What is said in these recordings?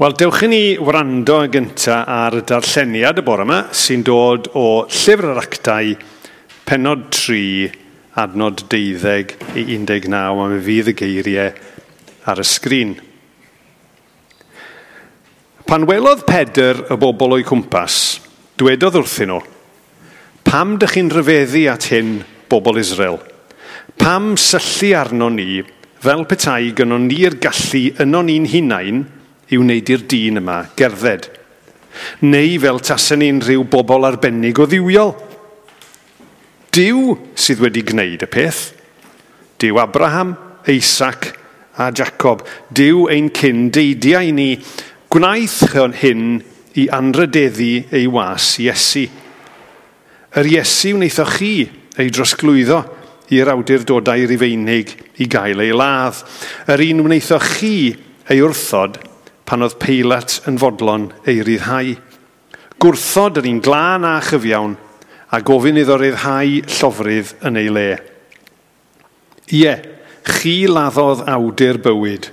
Wel, dewch i ni wrando yn gyntaf ar y darlleniad y bore yma sy'n dod o Llyfr yr Actau, pennod 3, adnod 12 i 19, a mi fydd y geiriau ar y sgrin. Pan welodd Pedr y bobl o'i cwmpas, dwedodd wrthyn nhw, "Pam dych chi'n rhyfeddu at hyn, bobl Israel? Pam syllu arno ni fel petai gynnon ni'r gallu ynon ni'n hunain i wneud i'r dyn yma gerdded? Neu fel tasen ni'n rhyw bobl arbennig o dduwiol? Duw sydd wedi gwneud y peth. Duw Abraham, Isaac a Jacob. Duw ein cyn deidiau ni. Gwnaeth hyn i anrhydeddu ei was Iesu. Yr Iesu wnaethoch chi ei drosglwyddo i'r awdurdodau Rufeinig i gael ei ladd. Yr un wnaethoch chi ei wrthod pan oedd Peilat yn fodlon ei ryddhau. Gwrthod yr un glân a chyfiawn a gofyn iddo ryddhau llofrudd yn ei le. Ie, chi laddodd awdur bywyd.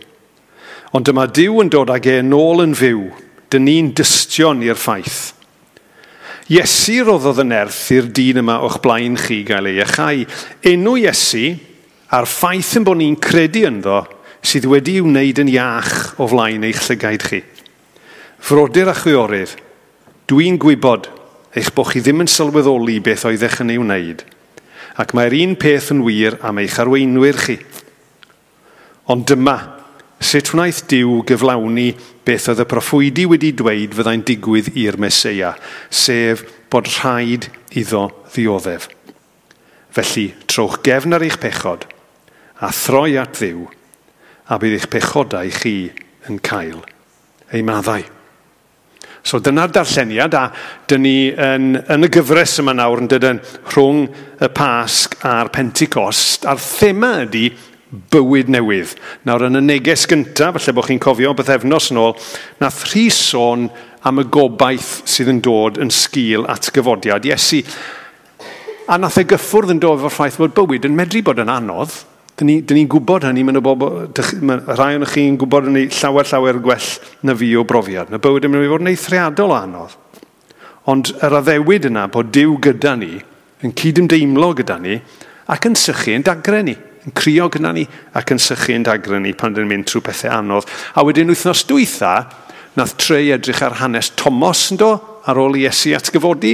Ond dyma Duw yn dod ag e nôl yn fyw. Dyn ni'n dystion i'r ffaith. Iesu roddodd y nerth i'r dyn yma o'ch blaen chi gael ei iachau. Enw Iesu a'r ffaith yn bod ni'n credu ynddo sydd wedi i'w wneud yn iach o flaen eich llygaid chi. Frodyr a chwiorydd, dwi'n gwybod eich bod chi ddim yn sylweddoli beth oeddech yn ei wneud, ac mae'r un peth yn wir am eich arweinwyr chi. Ond dyma, sut wnaeth Duw gyflawni beth oedd y proffwydi wedi dweud fyddai'n digwydd i'r Meseia, sef bod rhaid iddo ddioddef. Felly, trowch gefn ar eich pechod a throi at Dduw, a bydd eich pechodau chi yn cael eu maddau. So dyna'r darlleniad, a dyn ni yn y gyfres yma nawr yn dydyn rhwng y Pasg a'r Pentecost, a'r thema ydy bywyd newydd. Nawr yn y neges gyntaf, falle bod chi'n cofio bythefnos yn ôl, nath Rhys sôn am y gobaith sydd yn dod yn sgil atgyfodiad Iesu. A nath e gyffwrdd yn dod efo'r ffaith bod bywyd yn medru bod yn anodd. Dyn ni'n gwybod hynny, mae rhai ohonoch chi'n gwybod hynny llawer, llawer gwell na fi o brofiad. Mae bywyd yn mynd i fod yn eithriadol o anodd. Ond yr addewid yna bod Duw gyda ni, yn cydymdeimlo gyda ni, ac yn sychu yn dagrau ni, yn crio gyda ni, ac yn sychu yn dagrau ni pan dyn ni'n mynd trwy pethau anodd. A wedyn wythnos dwytha, nath Trey edrych ar hanes Tomos yn do, ar ôl Iesu atgyfodi.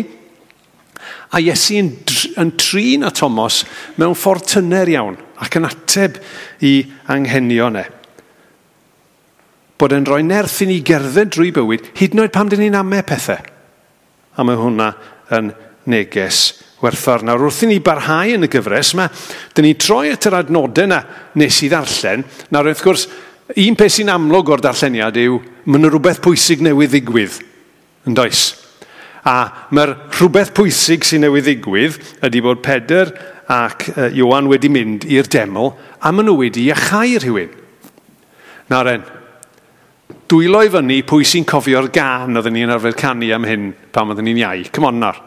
A Iesu yn trin â Tomos mewn ffordd tyner iawn ac yn ateb i anghenion e. Bod e'n rhoi nerth i ni gerdded drwy bywyd, hyd yn oed pan dyn ni'n ame pethau. A mae hwnna yn neges werthfawr. Nawr, wrth i ni barhau yn y gyfres yma, dyn ni troi at yr adnodau yna nes i ddarllen. Nawr, wrth gwrs, un peth sy'n amlwg o'r darlleniad yw, mae yna rhywbeth pwysig newydd ddigwydd, yn does? A mae'r rhywbeth pwysig sy'n newydd ddigwydd ydy bod Pedr ac Ioan wedi mynd i'r deml a maen nhw wedi iachau rhywun. Nawr en, dwylo i fyny pwy sy'n cofio'r gân oedden ni'n arfer canu am hyn pan oedden ni'n iau. Come on nawr.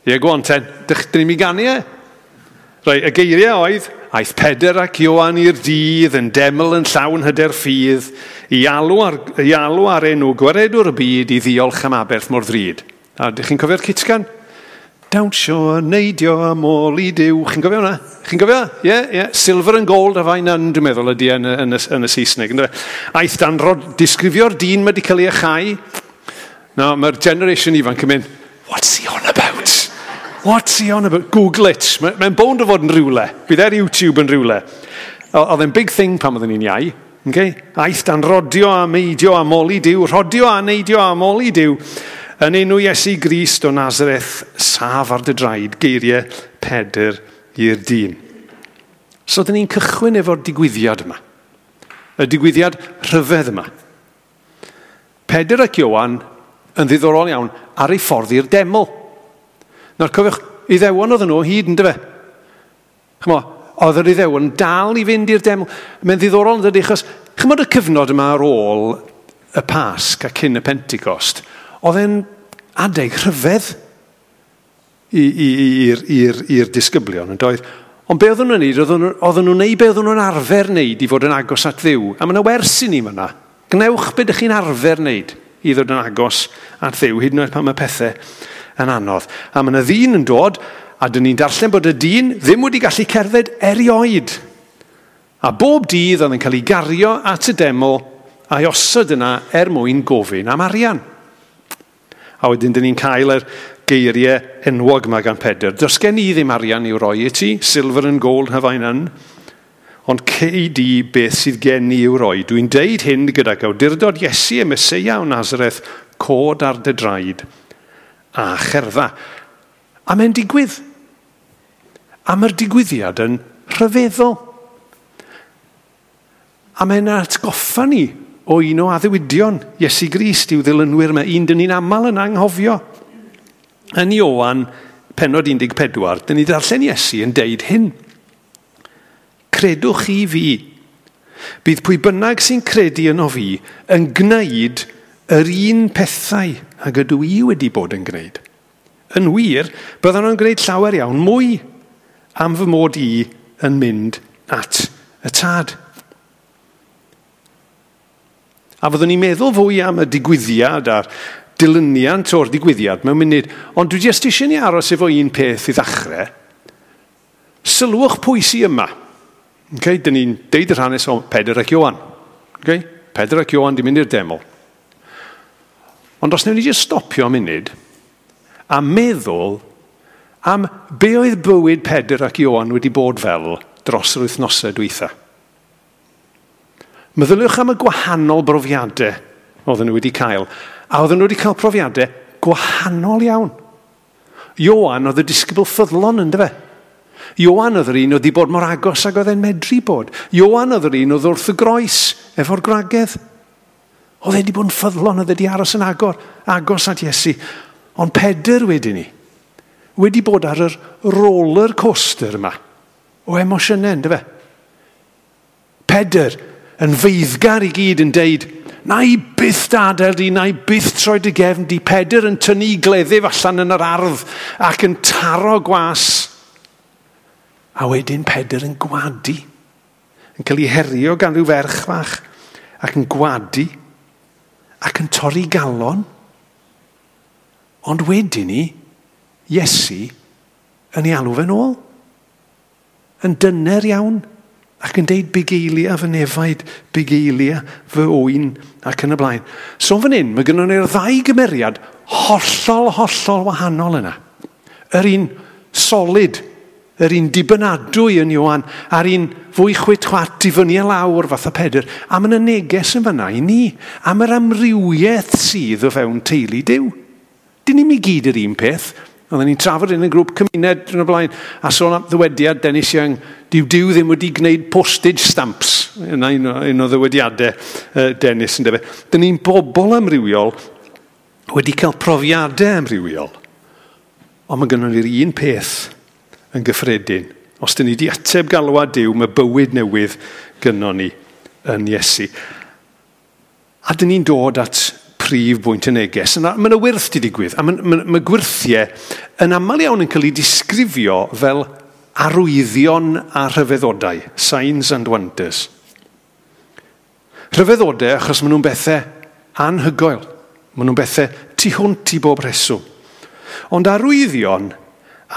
Ie, go on ten. Dyn ni'n mynd i ganu e? Reit, y geiriau oedd, aeth Pedr ac Ioan i'r dydd yn deml yn llawn hyder ffydd, i alw ar enw gwaredwr y byd i ddiolch am aberth mor ddrud. A ydych chi'n cofio'r cytgan? Dawnsio a neidio a moli Duw. Chi'n cofio hwnna? Chi'n cofio? Ie, ie. Silver and gold have I none, dwi'n meddwl, ydy yn y Saesneg. Aeth dan disgrifio'r dyn mae wedi cael ei achau. Nawr, mae'r generation ifanc yn mynd, what's he on about? What's he on about? Google it. Mae'n bownd o fod yn rhywle. Bydd ar YouTube yn rhywle. Oedd e'n big thing pan oedden ni'n iau. Okay? Aeth dan rodio a meidio a moli Duw. Rodio a neidio a moli Duw. Yn enw Iesu Grist o Nazareth, saf ar dy draed, geiriau Pedr i'r dyn. So, dyn ni'n cychwyn efo'r digwyddiad yma. Y digwyddiad rhyfedd yma. Pedr ac Ioan yn ddiddorol iawn ar ei ffordd i'r deml. Nawr, cofiwch, Iddewon oedden nhw o hyd, yndyfe? Ch'mo, oedd yr Iddewon dal i fynd i'r deml. Mae'n ddiddorol yn dydi, achos ch'mod y cyfnod yma ar ôl y Pasg a cyn y Pentecost, oedd e'n adeg rhyfedd i'r disgyblion, yn doedd? Ond be oedden nhw'n neud? Oedden nhw'n neud be oedden nhw'n arfer neud i fod yn agos at Dduw. A mae yna wers i ni fan'na. Gwnewch be dych chi'n arfer wneud i ddod yn agos at Dduw, hyd yn oed pan mae pethau yn anodd. A mae yna ddyn yn dod, a dyn ni'n darllen bod y dyn ddim wedi gallu cerdded erioed. A bob dydd oedd yn cael ei gario at y deml a'i osod yna er mwyn gofyn am arian. A wedyn dyn ni'n cael yr geiriau enwog yma gan Pedr. Does gen i ddim arian i'w roi i ti, silver and gold have I none. Ond cei di beth sydd gen i i'w roi. Dwi'n deud hyn gydag awdurdod Iesu y Meseia o Nazareth, cod ar dy draed a cherdda. A mae'n digwydd. A mae'r digwyddiad yn rhyfeddol. A mae'n atgoffa ni o un o addewidion Iesu Grist i'w ddilynwyr. Mae un dyn ni'n aml yn anghofio. Yn Ioan, pennod 14, dyn ni darllen Iesu yn deud hyn. Credwch chi fi. Bydd pwy bynnag sy'n credu yno fi yn gwneud yr un pethau ag ydw i wedi bod yn gwneud. Yn wir, byddan nhw'n gwneud llawer iawn mwy am fy mod i yn mynd at y tad. A fyddwn ni'n meddwl fwy am y digwyddiad a'r dilyniant o'r digwyddiad mewn munud, ond dwi jyst eisiau ni aros efo un peth i ddechrau. Sylwch pwy sydd yma. Okay, dyn ni'n deud yr hanes o Pedr ac Ioan. Okay? Pedr ac Ioan di mynd i'r deml. Ond os wnawn ni jyst stopio am munud a meddwl am be oedd bywyd Pedr ac Ioan wedi bod fel dros yr wythnosau dwytha. Meddyliwch am y gwahanol brofiadau oedden nhw wedi cael. A oedden nhw wedi cael profiadau gwahanol iawn. Ioan oedd y disgybl ffyddlon, yndyfe? Ioan oedd yr un oedd wedi bod mor agos ag oedd e'n medru bod. Ioan oedd yr un oedd wrth y groes efo'r gwragedd. Oedd e wedi bod yn ffyddlon, oedd e wedi aros yn agos at Iesu. Ond Pedr wedyn ni, wedi bod ar yr roller coaster yma o emosiynau, yndyfe? Pedr yn feiddgar i gyd yn deud, na i byth adael di, na i byth troi dy gefn di. Pedr yn tynnu gleddyf allan yn yr ardd ac yn taro gwas. A wedyn Pedr yn gwadu, yn cael ei herio gan ryw ferch fach, ac yn gwadu, ac yn torri galon. Ond wedyn ni, Iesu yn ei alw fe'n ôl. Yn dyner iawn, ac yn deud bugeilia fy nefaid, bugeilia fy oen, ac yn y blaen. So fan hyn, mae gynnon ni'r ddau gymeriad hollol, hollol wahanol yna. Yr un solid, yr un dibynadwy yn Ioan, a'r un fwy chwit-chwat i fyny a lawr fatha Pedr. A mae yna neges yn fanna i ni, am yr amrywiaeth sydd o fewn teulu Duw. Dyn ni'm i gyd yr un peth. Oedden ni'n trafod yn y grŵp cymuned yn y blaen, a sôn am ddywediad Dennis Young, dyw Duw ddim wedi gwneud postage stamps. Yna un o ddywediadau Dennis yn dyfe. Dyn ni'n bobl amrywiol wedi cael profiadau amrywiol. Ond mae gynnon ni'r un peth yn gyffredin. Os dyn ni wedi ateb galwad Duw, mae bywyd newydd gynnon ni yn Iesu. A dyn ni'n dod at prif bwynt y neges. Mae yna wyrth wedi digwydd, a mae gwyrthiau yn aml iawn yn cael ei disgrifio fel arwyddion a rhyfeddodau, signs and wonders. Rhyfeddodau achos maen nhw'n bethau anhygoel, maen nhw'n bethau tu hwnt i bob rheswm. Ond arwyddion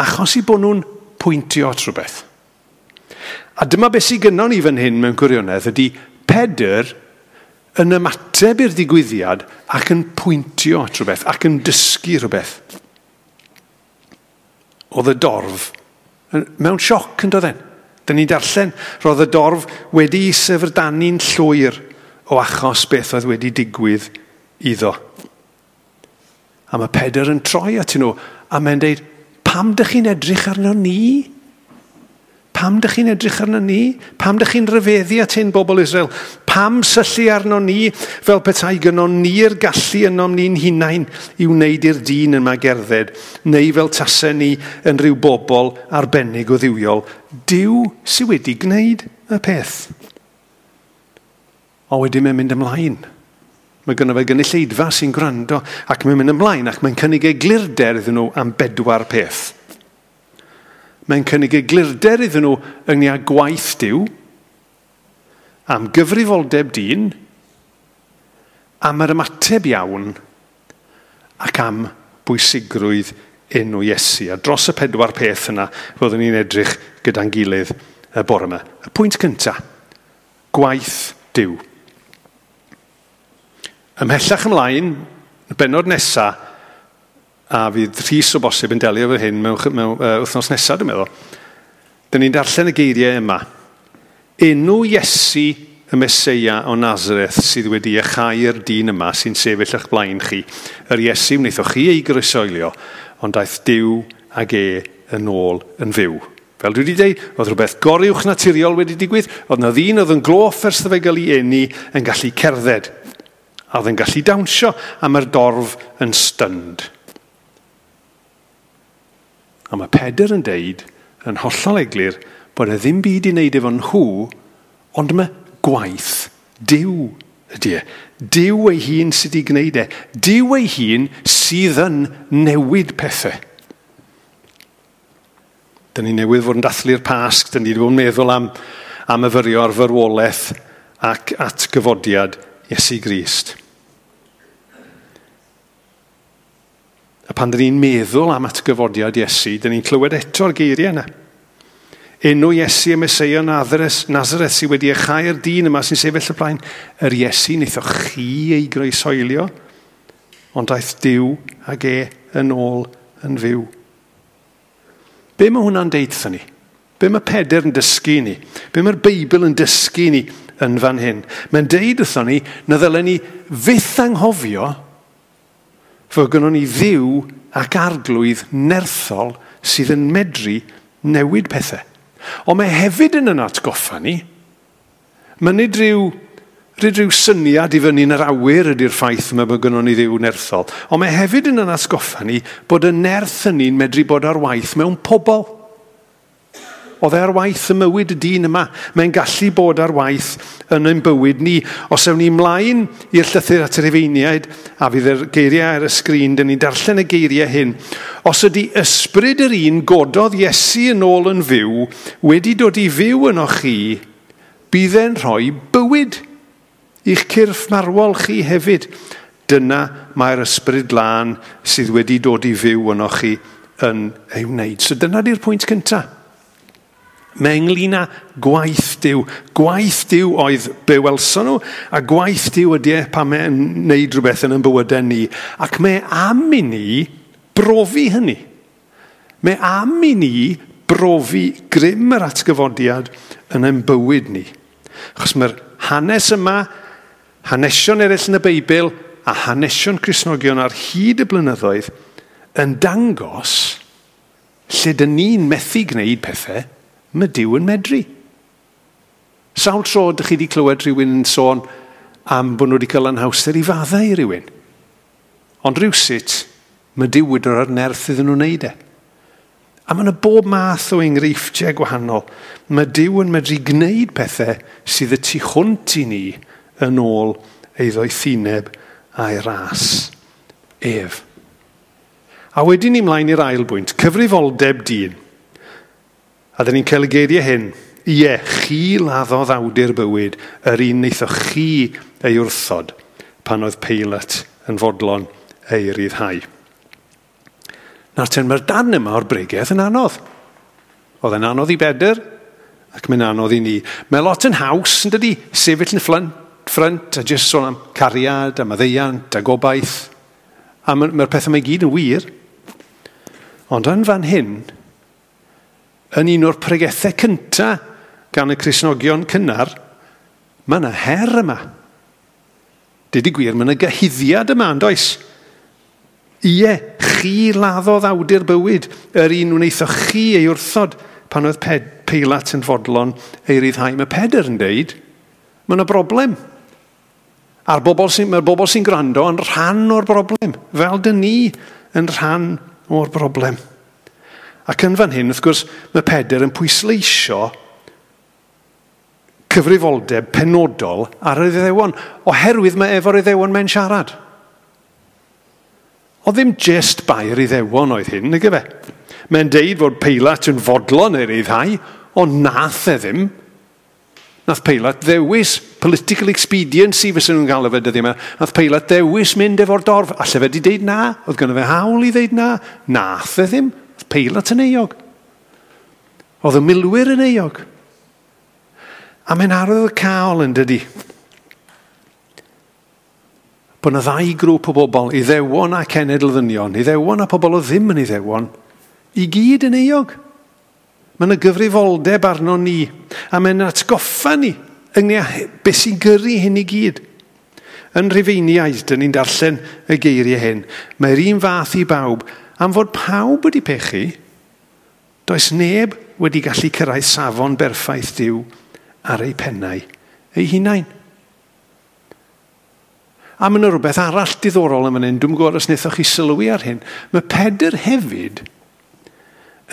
achos i bod nhw'n pwyntio at rhywbeth. A dyma beth sydd gynnon ni fan hyn mewn gwirionedd ydy Pedr yn ymateb i'r digwyddiad ac yn pwyntio at rhywbeth ac yn dysgu rhywbeth. Oedd y dorf mewn sioc yn doedden. Dyn ni'n darllen, roedd y dorf wedi syfrdanu'n llwyr o achos beth oedd wedi digwydd iddo. A mae Pedr yn troi at nhw a mae'n deud, pam dych chi'n edrych arno ni? Pam dych chi'n edrych arno ni? Pam dych chi'n rhyfeddu at hyn, bobl Israel? Pam syllu arno ni fel petai gynnon ni'r gallu ynom ni'n hunain i wneud i'r dyn yma gerdded, neu fel tasau ni yn rhyw bobl arbennig o dduwiol? Duw sydd wedi gwneud y peth. O wedyn mae'n mynd ymlaen. Mae gynno fe gynulleidfa sy'n gwrando ac mae'n mynd ymlaen ac mae'n cynnig eglurder iddyn nhw am bedwar peth. Mae'n cynnig eglurder iddyn nhw ynglŷn â gwaith Duw, am gyfrifoldeb dyn, am yr ymateb iawn ac am bwysigrwydd enw Iesu. A dros y 4 peth yna, fyddwn ni'n edrych gyda'n gilydd y bore yma. Y pwynt cyntaf, gwaith Duw. Ymhellach ymlaen, y bennod nesaf, a fydd Rhys o bosib yn delio efo hyn mewn wythnos nesaf, dwi'n meddwl. Dyn ni'n darllen y geiriau yma. Enw Iesu y Meseia o Nazareth sydd wedi iachau'r dyn yma sy'n sefyll eich blaen chi. Yr Iesu wnaethoch chi ei groesoelio, ond daeth Duw ag e yn ôl yn fyw. Fel dwi wedi dweud, oedd rhywbeth goruwch naturiol wedi digwydd, oedd na ddyn oedd yn gloff ers iddo fe gael ei eni yn gallu cerdded, a oedd yn gallu dawnsio, a mae'r dorf yn stunned. A mae Pedr yn deud, yn hollol eglur, bod e ddim byd i wneud efo nhw, ond mae gwaith Duw ydy e. Duw ei hun sydd wedi gwneud e. Duw ei hun sydd yn newid pethau. Dyn ni newydd fod yn dathlu'r Pasg, dyn ni wedi bod yn meddwl am myfyrio ar farwolaeth ac atgyfodiad Iesu Grist. A pan dyn ni'n meddwl am atgyfodiad Iesu, dyn ni'n clywed eto'r geiriau yna. Enw Iesu y Meseia Nazareth sydd wedi iachau'r dyn yma sy'n sefyll y blaen. Yr Iesu wnaethoch chi ei groesoelio, ond daeth Duw ag e yn ôl yn fyw. Be mae hwnna'n deud wrthon ni? Be mae Pedr yn dysgu ni? Be mae'r Beibl yn dysgu ni yn fan hyn? Mae'n deud wrthon ni na ddylen ni fyth anghofio fod gynnon ni Dduw ac arglwydd nerthol sydd yn medru newid pethau. Ond mae hefyd yn atgoffa ni. Mae nid rhyw syniad i fyny yn yr awyr ydy'r ffaith yma bod gynnon ni Dduw nerthol. Ond mae hefyd yn atgoffa ni bod y nerth hynny'n medru bod ar waith mewn pobl. Oedd e ar waith ym mywyd y dyn yma. Mae'n gallu bod ar waith yn ein bywyd ni. Os ewn ni ymlaen i'r llythyr at yr Rhufeiniaid, a fydd yr geiriau ar y sgrin, dyn ni'n darllen y geiriau hyn. Os ydy ysbryd yr un gododd Iesu yn ôl yn fyw, wedi dod i fyw yno chi, bydd e'n rhoi bywyd i'ch cyrff marwol chi hefyd. Dyna mae'r ysbryd glân sydd wedi dod i fyw yno chi yn ei wneud. So dyna di'r pwynt cyntaf. Mae ynglyn â gwaith Duw. Gwaith Duw oedd be welson nhw, a gwaith Duw ydy e pan mae'n wneud rhywbeth yn ein bywydau ni. Ac mae am i ni brofi hynny. Mae am i ni brofi grym yr atgyfodiad yn ein bywyd ni. Achos mae'r hanes yma, hanesion eraill yn y Beibl, a hanesion Cristnogion ar hyd y blynyddoedd, yn dangos lle dyn ni'n methu gwneud pethau, mae Duw yn medru. Sawl tro ydych chi wedi clywed rhywun yn sôn am bod nhw wedi cael anhawster i faddau i rhywun. Ond rhywsut, mae Duw wedi rhoi'r nerth iddyn nhw wneud e. A mae yna bob math o enghreifftiau gwahanol. Mae Duw yn medru gwneud pethau sydd y tu hwnt i ni yn ôl ei ddoethineb a'i ras ef. A wedyn ni mlaen i'r ail bwynt, cyfrifoldeb dyn. A dyn ni'n cael y geiriau hyn. Ie, chi laddodd awdur bywyd, yr un wnaethoch chi ei wrthod pan oedd Peilat yn fodlon ei ryddhau. Nawr ten, mae'r darn yma o'r bregeth yn anodd. Oedd e'n anodd i Bedr, ac mae'n anodd i ni. Mae lot yn haws, yn dydi, sefyll yn ffrynt a jyst sôn am cariad, a maddeuant, a gobaith. A mae'r pethau yma i gyd yn wir. Ond yn fan hyn, yn un o'r pregethau cyntaf gan y Cristnogion cynnar, mae yna her yma. Deud y gwir, mae yna gyhuddiad yma, yn does? Ie, chi laddodd awdur bywyd, yr un wnaethoch chi ei wrthod pan oedd Peilat yn fodlon ei ryddhau. Mae Pedr yn deud, mae yna broblem. A'r mae'r bobl sy'n gwrando yn rhan o'r broblem, fel dyn ni yn rhan o'r broblem. Ac yn fan hyn, wrth gwrs, mae Pedr yn pwysleisio cyfrifoldeb penodol ar yr Iddewon, oherwydd mae efo'r Iddewon mae'n siarad. O ddim just bai'r Iddewon oedd hyn, nag efe. Mae'n deud fod Peilat yn fodlon ei ryddhau, ond nath e ddim. Nath Peilat ddewis political expediency fysa nhw'n gael fe dyddiau yma. Nath Peilat ddewis mynd efo'r dorf. Alle fe di deud na. Oedd gynno fe hawl i ddeud na. Nath e ddim. Oedd Peilat yn euog. Oedd y milwyr yn euog. A mae'n arwyddocaol yn dydi. Bod yna ddau grŵp o bobl, Iddewon a cenedl ddynion, Iddewon a pobl o ddim yn Iddewon, i gyd yn euog. Mae yna gyfrifoldeb arno ni, a mae'n atgoffa ni ynglyn â beth sy'n gyrru hyn i gyd. Yn Rhufeiniaid, dyn ni'n darllen y geiriau hyn, mae'r un fath i bawb, am fod pawb wedi pechu, does neb wedi gallu cyrraedd safon berffaith Duw ar eu pennau eu hunain. A mae yna rhywbeth arall diddorol yn fan hyn, dwi'n gwybod os wnaethoch chi sylwi ar hyn. Mae Pedr hefyd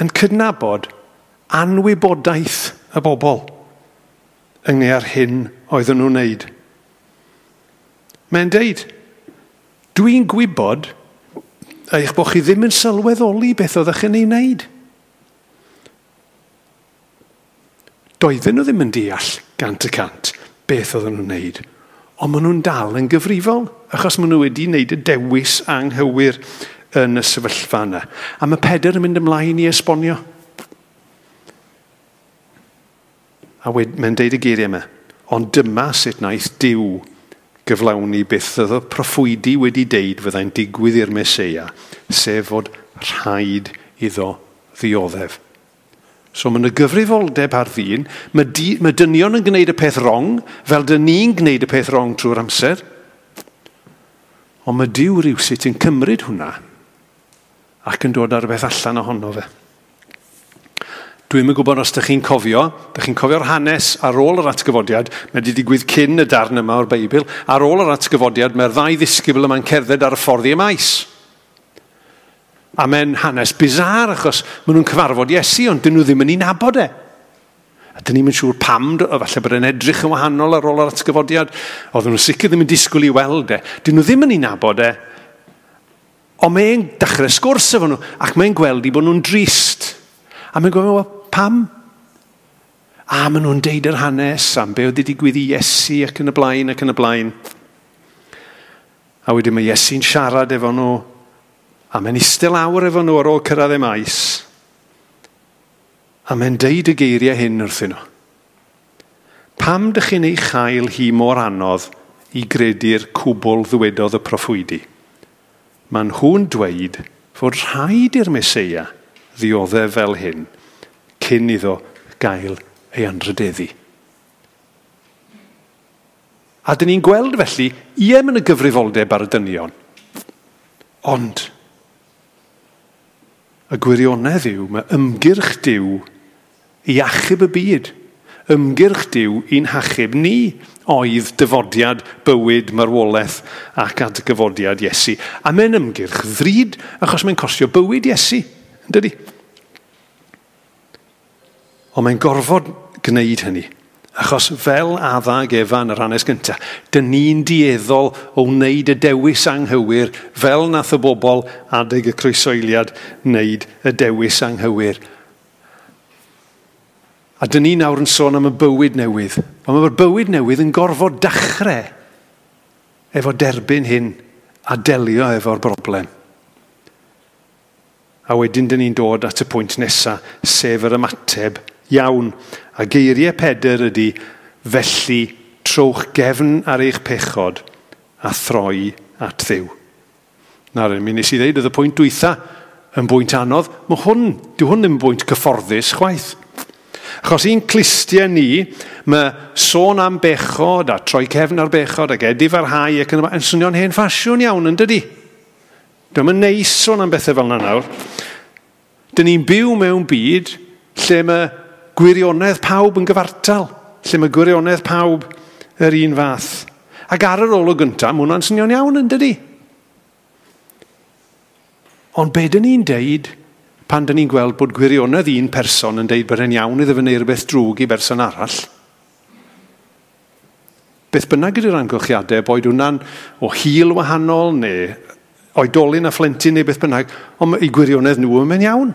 yn cydnabod anwybodaeth y bobl ynglyn â'r hyn oedden nhw'n wneud. Mae'n deud, dwi'n gwybod eich bod chi ddim yn sylweddoli beth oeddech chi'n ei wneud. Doedden nhw ddim yn deall 100% beth oedden nhw'n wneud. Ond maen nhw'n dal yn gyfrifol, achos maen nhw wedi wneud y dewis anghywir yn y sefyllfa yna. A mae Pedr yn mynd ymlaen i esbonio. A mae'n deud y geiriau yma, ond dyma sut wnaeth Duw gyflawni beth oedd y proffwydi wedi deud fyddai'n digwydd i'r Meseia, sef fod rhaid iddo ddioddef. So mae yna gyfrifoldeb ar ddyn, mae dynion yn gwneud y peth wrong, fel dyn ni'n gwneud y peth wrong trwy'r amser. Ond mae Duw rywsut yn cymryd hwnna ac yn dod â rhywbeth allan ohono fe. Dwi'm yn gwybod os ydych chi'n cofio, ydych chi'n cofio'r hanes ar ôl yr atgyfodiad, mae wedi digwydd cyn y darn yma o'r Beibl, ar ôl yr atgyfodiad mae'r ddau ddisgybl yma'n cerdded ar y ffordd i Emaus. A mae'n hanes bizar achos maen nhw'n cyfarfod Iesu, ond dyn nhw ddim yn ei nabod e. A dyn ni'm yn siŵr pam, falle bod e'n edrych yn wahanol ar ôl yr atgyfodiad. Oedden nhw'n sicr ddim yn disgwyl i weld e. Dyn nhw ddim yn ei nabod e. Ond mae'n dechrau sgwrs efo nhw, ac mae'n gweld i bod nhw'n drist. A mae'n gofyn, well, pam? A maen nhw'n deud yr hanes am be oedd wedi digwydd i Iesu ac yn y blaen ac yn y blaen. A wedyn mae Iesu'n siarad efo nhw, a mae'n eistedd lawr efo nhw ar ôl cyrraedd Emaus. A mae'n deud y geiriau hyn wrthyn nhw. Pam dych chi'n ei chael hi mor anodd i gredu'r cwbl ddwedodd y proffwydi? Maen nhw'n dweud fod rhaid i'r Meseia ddioddef fel hyn cyn iddo gael ei anrhydeddu. A dyn ni'n gweld felly, ie, mae yna gyfrifoldeb ar y dynion. Ond y gwirionedd yw, mae ymgyrch Duw i achub y byd. Ymgyrch Duw i'n hachub ni oedd dyfodiad, bywyd, marwolaeth ac atgyfodiad Iesu. A mae'n ymgyrch ddrud achos mae'n costio bywyd Iesu, yn dydi? Ond mae'n gorfod gwneud hynny. Achos fel Adda ag Efa yn yr hanes gyntaf, dyn ni'n dueddol o wneud y dewis anghywir fel nath y bobl adeg y croesoeliad wneud y dewis anghywir. A dyn ni nawr yn sôn am y bywyd newydd. Ond mae'r bywyd newydd yn gorfod dechrau efo derbyn hyn a delio efo'r broblem. A wedyn dyn ni'n dod at y pwynt nesaf, sef yr ymateb iawn. A geiriau Pedr ydy, felly trowch gefn ar eich pechod a throi at Dduw. Nawr, mi nes i ddeud, oedd y pwynt dwytha yn bwynt anodd. Mae hwn, dyw hwn ddim yn bwynt cyfforddus chwaith. Achos i'n clustiau ni, mae sôn am bechod a troi cefn ar bechod ac edifarhau ac yn y blaen, yn swnio'n hen ffasiwn iawn, yn dydi? Dio'm yn neis sôn am bethau fel yna nawr. Dyn ni'n byw mewn byd lle mae gwirionedd pawb yn gyfartal, lle mae gwirionedd pawb yr un fath. Ac ar yr olwg gyntaf, mae hwnna'n swnio'n iawn, yn dydi? Ond be dyn ni'n deud pan dyn ni'n gweld bod gwirionedd un person yn deud bod e'n iawn iddo fe wneud rhywbeth drwg i berson arall? Beth bynnag ydy'r amgylchiadau, boed hwnna'n o hil wahanol neu oedolyn a phlentyn neu beth bynnag, ond i gwirionedd nhw yn mynd iawn.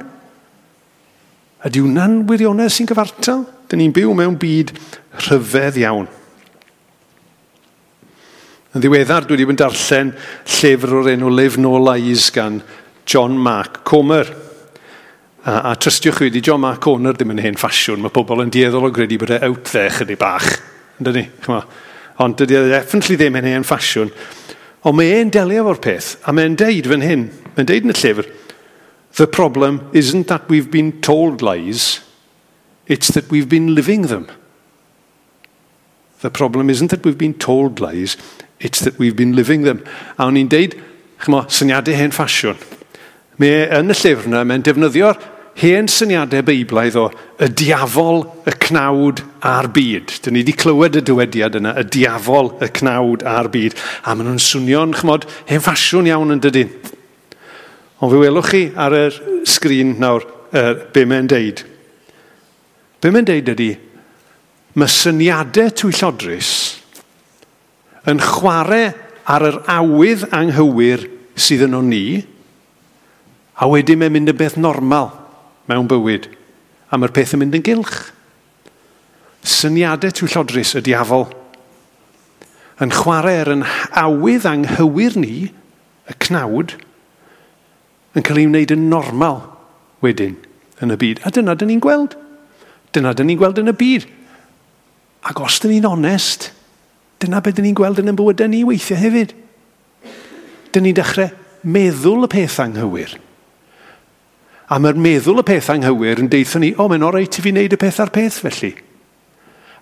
Ydy hwnna'n wirionedd sy'n gyfartal? Dyn ni'n byw mewn byd rhyfedd iawn. Yn ddiweddar, dwi wedi bod yn darllen llyfr o'r enw Live No Lies gan John Mark Comer. A trystiwch fi, di John Mark Comer ddim yn hen ffasiwn. Mae pobl yn dueddol o gredu bod e out there chydig bach. Yndyn ni? Ond dydy e definitely ddim yn hen ffasiwn. Ond mae e'n delio efo'r peth, a mae'n deud fan hyn, mae'n deud yn y llyfr, "The problem isn't that we've been told lies, it's that we've been living them." The problem isn't that we've been told lies, it's that we've been living them. A o'n i'n deud, ch'mo, syniadau hen ffasiwn. Mae yn y llyfr yna, mae'n defnyddio'r hen syniadau beiblaidd o y diafol, y cnawd a'r byd. Dyn ni wedi clywed y dywediad yna, y diafol, y cnawd a'r byd. A maen nhw'n swnio'n, ch'mod, hen ffasiwn iawn yn dydyn. Ond fe welwch chi ar y sgrin nawr be mae'n deud. Be mae'n deud ydy, mae syniadau twyllodrus yn chwarae ar yr awydd anghywir sydd yno ni, a wedyn mae'n mynd yn beth normal mewn bywyd, a mae'r peth yn mynd yn gylch. Syniadau twyllodrus y diafol yn chwarae ar yn awydd anghywir ni, y cnawd, yn cael ei wneud yn normal wedyn yn y byd. A dyna dyn ni'n gweld. Dyna dyn ni'n gweld yn y byd. Ac os dyn ni'n onest, dyna beth dyn ni'n gweld yn ein bywydau ni weithiau hefyd. Dyn ni'n dechrau meddwl y peth anghywir. A mae'r meddwl y peth anghywir yn deutho ni, o, mae'n oreit i fi wneud y peth ar peth felly.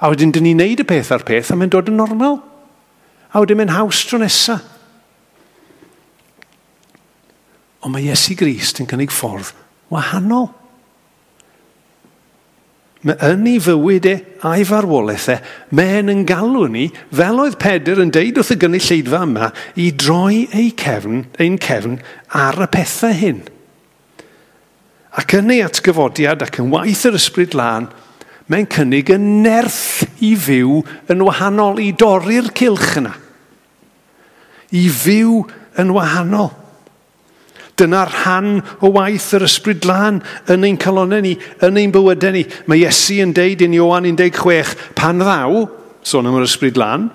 A wedyn dyn ni'n wneud y peth ar peth a mae'n dod yn normal. A wedyn mae'n haws tro nesa. Ond mae Iesu Grist yn cynnig ffordd wahanol. Mae yn ei fywyd e a'i farwolaeth e, mae'n yn galw ni, fel oedd Pedr yn deud wrth y gynulleidfa yma, i droi ei cefn, ein cefn ar y pethau hyn. Ac yn ei atgyfodiad ac yn waith yr Ysbryd Lân, mae'n cynnig y nerth i fyw yn wahanol, i dorri'r cylch yna. I fyw yn wahanol. Dyna'r rhan o waith yr Ysbryd Lân yn ein calonnau ni, yn ein bywydau ni. Mae Iesu yn deud yn Ioan 16, pan ddaw, sôn am yr Ysbryd Lân,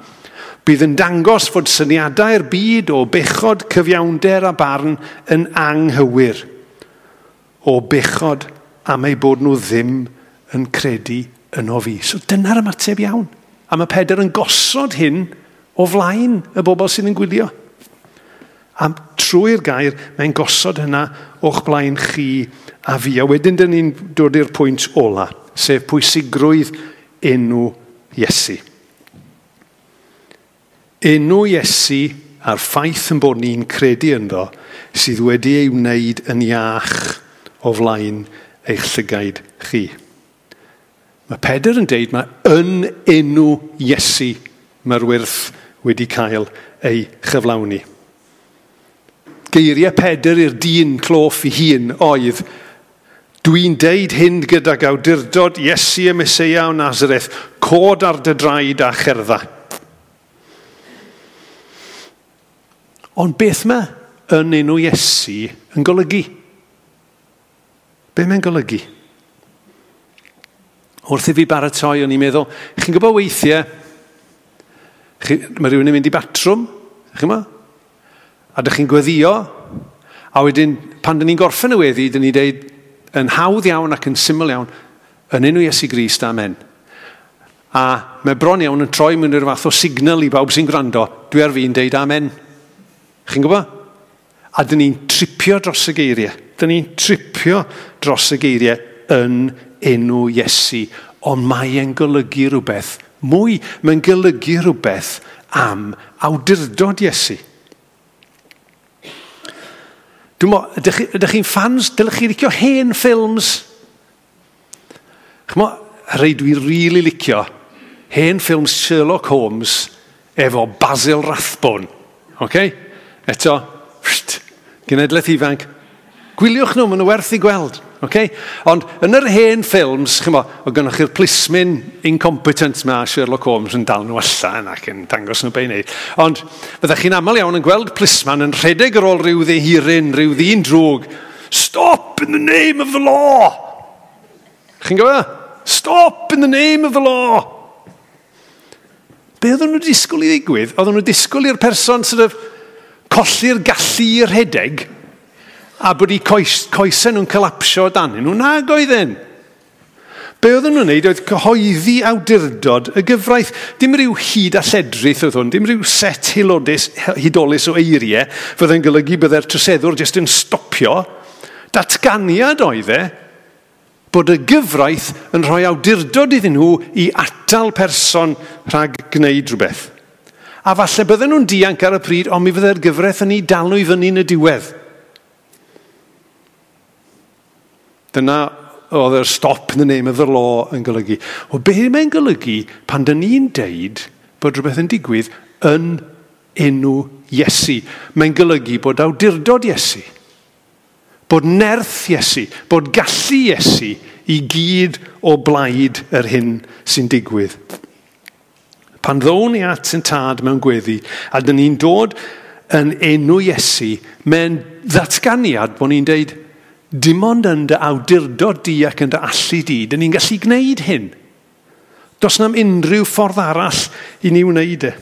bydd yn dangos fod syniadau'r byd o bechod, cyfiawnder a barn yn anghywir. O bechod am eu bod nhw ddim yn credu yno fi. So dyna'r ymateb iawn. A mae Pedr yn gosod hyn o flaen y bobl sydd yn gwylio. A trwy'r gair, mae'n gosod hynna o'ch blaen chi a fi. A wedyn dyn ni'n dod i'r pwynt ola, sef pwysigrwydd enw Iesu. Enw Iesu a'r ffaith yn bod ni'n credu ynddo sydd wedi ei wneud yn iach o flaen eich llygaid chi. Mae Pedr yn deud mae yn enw Iesu mae'r wyrth wedi cael ei chyflawni. Geiriau Pedr i'r dyn cloff i hun oedd, dwi'n deud hyn gydag awdurdod Iesu y Meseia o Nazareth, cod ar dy draed a cherdda. Ond beth mae yn enw Iesu yn golygu? Be mae'n golygu? Wrth i fi baratoi, o'n i'n meddwl, chi'n gwybod weithiau, mae rhywun yn mynd i batrwm, chi'n gwybod? A dych chi'n gweddio, a wedyn pan dyn ni'n gorffen y weddi, dyn ni'n deud yn hawdd iawn ac yn syml iawn, yn enw Iesu Grist, amen. A mae bron iawn yn troi mewn i'r fath o signal i bawb sy'n gwrando, dwi ar fi'n deud amen. Chi'n gwybod? A dyn ni'n tripio dros y geiriau. Dyn ni'n tripio dros y geiriau yn enw Iesu. Ond mae e'n golygu rhywbeth mwy. Mae'n golygu rhywbeth am awdurdod Iesu. Dwi'n meddwl, ydych chi'n fans? Dylech chi licio hen ffilms? Ch'mo, rhai dwi rili licio, hen ffilms Sherlock Holmes efo Basil Rathbone. Okay? Eto, genedlaeth ifanc, gwyliwch nhw, maen nhw werth i gweld. Okay? Ond yn yr hen ffilms, ch'mo, oedd gynnoch chi'r plismyn incompetent ma Sherlock Holmes yn dal nhw allan ac yn dangos nhw be i wneud. Ond fyddech chi'n aml iawn yn gweld plisman yn rhedeg ar ôl rhyw ddihiryn, rhyw ddyn drwg. Stop in the name of the law! Chi'n gwybod? Stop in the name of the law! Be oedden nhw'n disgwyl i ddigwydd? Oedden nhw'n disgwyl i'r person sort of colli'r gallu i rhedeg a bod eu coesau nhw'n colapsio dan nhw. Nag oedden. Be oedden nhw'n wneud oedd cyhoeddi awdurdod y gyfraith. Dim rhyw hyd a lledrith oedd hwn, dim rhyw set hudolus o eiriau fydde'n golygu byddai'r troseddwr jyst yn stopio. Datganiad oedd e bod y gyfraith yn rhoi awdurdod iddyn nhw i atal person rhag gwneud rhywbeth. A falle bydden nhw'n dianc ar y pryd, ond mi fyddai'r gyfraith yn ei dal nhw i fyny yn y diwedd. Dyna oedd yr stop in the name of the law yn golygu. O be mae'n golygu pan dyn ni'n deud bod rhywbeth yn digwydd yn enw Iesu? Mae'n golygu bod awdurdod Iesu, bod nerth Iesu, bod gallu Iesu i gyd o blaid yr hyn sy'n digwydd. Pan ddown ni at yn tad mewn gweddi, a dyn ni'n dod yn enw Iesu, mae'n ddatganiad bod ni'n deud, dim ond yn dy awdurdod di ac yn dy allu di, dyn ni'n gallu gwneud hyn. Does na'm unrhyw ffordd arall i ni wneud e.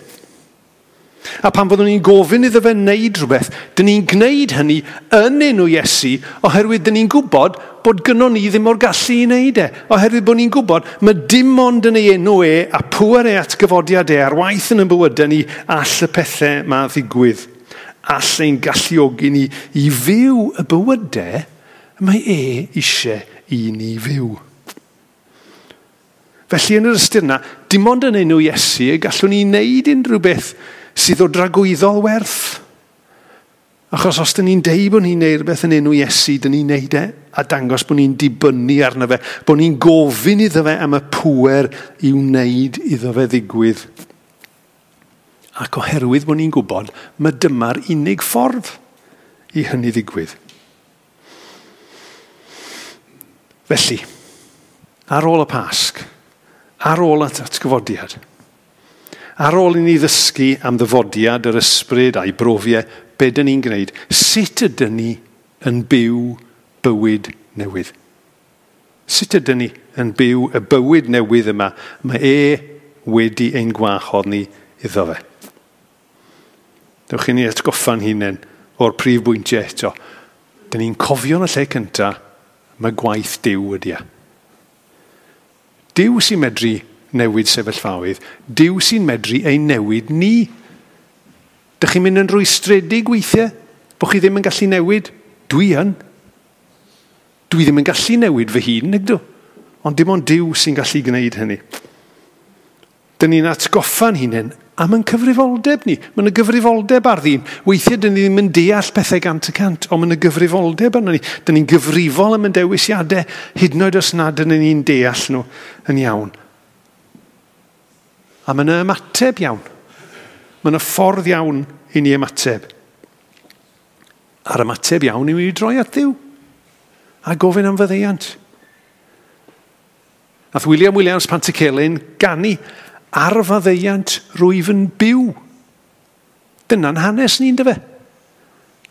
A pan fyddwn ni'n gofyn iddo fe wneud rhywbeth, dyn ni'n gwneud hynny yn enw Iesu, oherwydd dyn ni'n gwybod bod gynnon ni ddim o'r gallu i wneud e. Oherwydd bod ni'n gwybod mae dim ond yn ei enw e a pŵer ei atgyfodiad e ar waith yn ein bywydau ni all y pethau ma ddigwydd. All ein galluogi ni i fyw y bywydau mae e eisiau i ni fyw. Felly yn yr ystyr yna, dim ond yn enw Iesu y gallwn ni wneud unrhyw beth sydd o dragwyddol werth. Achos os dyn ni'n deud bod ni'n neud rhywbeth yn enw Iesu, dyn ni'n neud e a dangos bod ni'n dibynnu arno fe, bod ni'n gofyn iddo fe am y pŵer i wneud iddo fe ddigwydd. Ac oherwydd bod ni'n gwybod, mae dyma'r unig ffordd i hynny ddigwydd. Felly, ar ôl y Pasg, ar ôl y atgyfodiad, ar ôl i ni ddysgu am ddyfodiad yr ysbryd a'i brofiau, be dyn ni'n gwneud? Sut ydyn ni yn byw bywyd newydd? Sut ydyn ni yn byw y bywyd newydd yma? Mae e wedi ein gwahodd ni iddo fe. Dewch i ni atgoffa'n hunain o'r prif bwyntiau eto. Dyn ni'n cofio yn y lle cyntaf, mae gwaith Duw ydy e. Duw sy'n medru newid sefyllfaoedd. Duw sy'n medru ein newid ni. Dych chi'n mynd yn rwystredig weithiau? Bo chi ddim yn gallu newid? Dwi yn. Dwi ddim yn gallu newid fy hun, nag dw. Ond dim ond Duw sy'n gallu gwneud hynny. Dyn ni'n atgoffa'n hunain am ein cyfrifoldeb ni. Mae yna gyfrifoldeb ar ddyn. Weithiau dyn ni ddim yn deall pethau 100%, ond mae yna gyfrifoldeb arno ni. Dyn ni'n gyfrifol am ein dewisiadau, hyd yn oed os nad ydyn ni'n deall nhw yn iawn. A mae yna ymateb iawn. Mae yna ffordd iawn i ni ymateb. A'r ymateb iawn yw i droi at Dduw a gofyn am faddeuant. Nath William Williams Pantycelyn ganu ar faddeuant rwyf yn byw. Dyna'n hanes ni'n dyfe.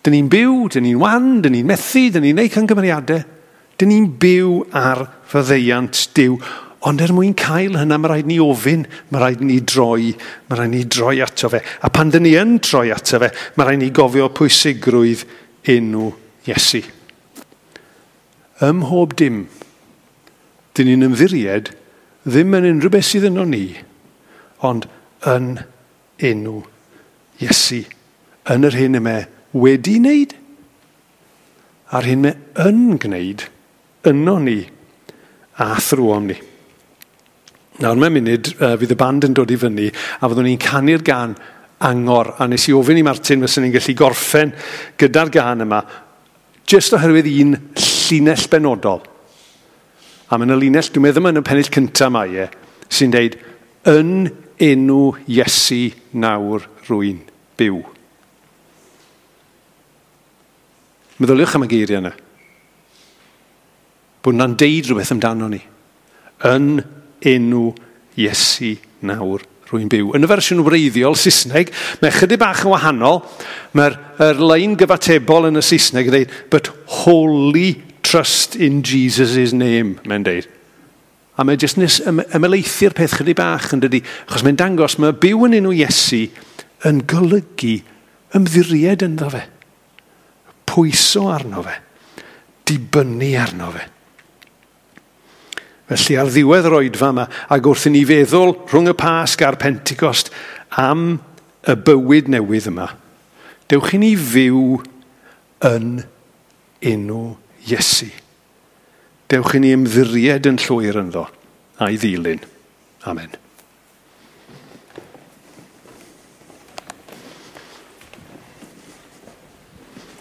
Dyn ni'n byw, dyn ni'n wan, dyn ni'n methu, dyn ni'n neud camgymeriadau. Dyn ni'n byw ar faddeuant Duw. Ond er mwyn cael hynna, mae rhaid ni ofyn, mae rhaid ni droi, mae rhaid ni droi ato fe. A pan dyn ni yn troi ato fe, mae rhaid ni gofio pwysigrwydd enw Iesu. Ym mhob dim, dyn ni'n ymddiried ddim yn unrhyw beth sydd yno ni, ond yn enw Iesu. Yn yr hyn y mae wedi wneud, a'r hyn mae yn gwneud yno ni a thrwom ni. Nawr mewn munud fydd y band yn dod i fyny a fyddwn ni'n canu'r gan Angor. A nes i ofyn i Martin fyswn ni'n gallu gorffen gyda'r gan yma jyst oherwydd un llinell benodol. A mae yna linell, dwi'n meddwl yn y pennill cyntaf mae e, sy'n deud, yn enw Iesu nawr rwy'n byw. Meddyliwch am y geiriau yna. Bod yna'n deud rhywbeth amdano ni. Yn enw Iesu nawr rwy'n byw. Yn y fersiwn wreiddiol Saesneg, mae chydig bach yn wahanol. Mae'r lein gyfatebol yn y Saesneg yn dweud, but wholly trust in Jesus' name, mae'n deud. A mae jyst nes ymelaethu'r peth chydig bach yn dydy, achos mae'n dangos mae byw yn enw Iesu yn golygu ymddiried ynddo fe. Pwyso arno fe. Dibynnu arno fe. Felly ar ddiwedd yr oedfa yma, ac wrth i ni feddwl rhwng y Pasg a'r Pentecost am y bywyd newydd yma, dewch i ni fyw yn enw Iesu. Dewch i ni ymddiried yn llwyr ynddo a'i ddilyn. Amen.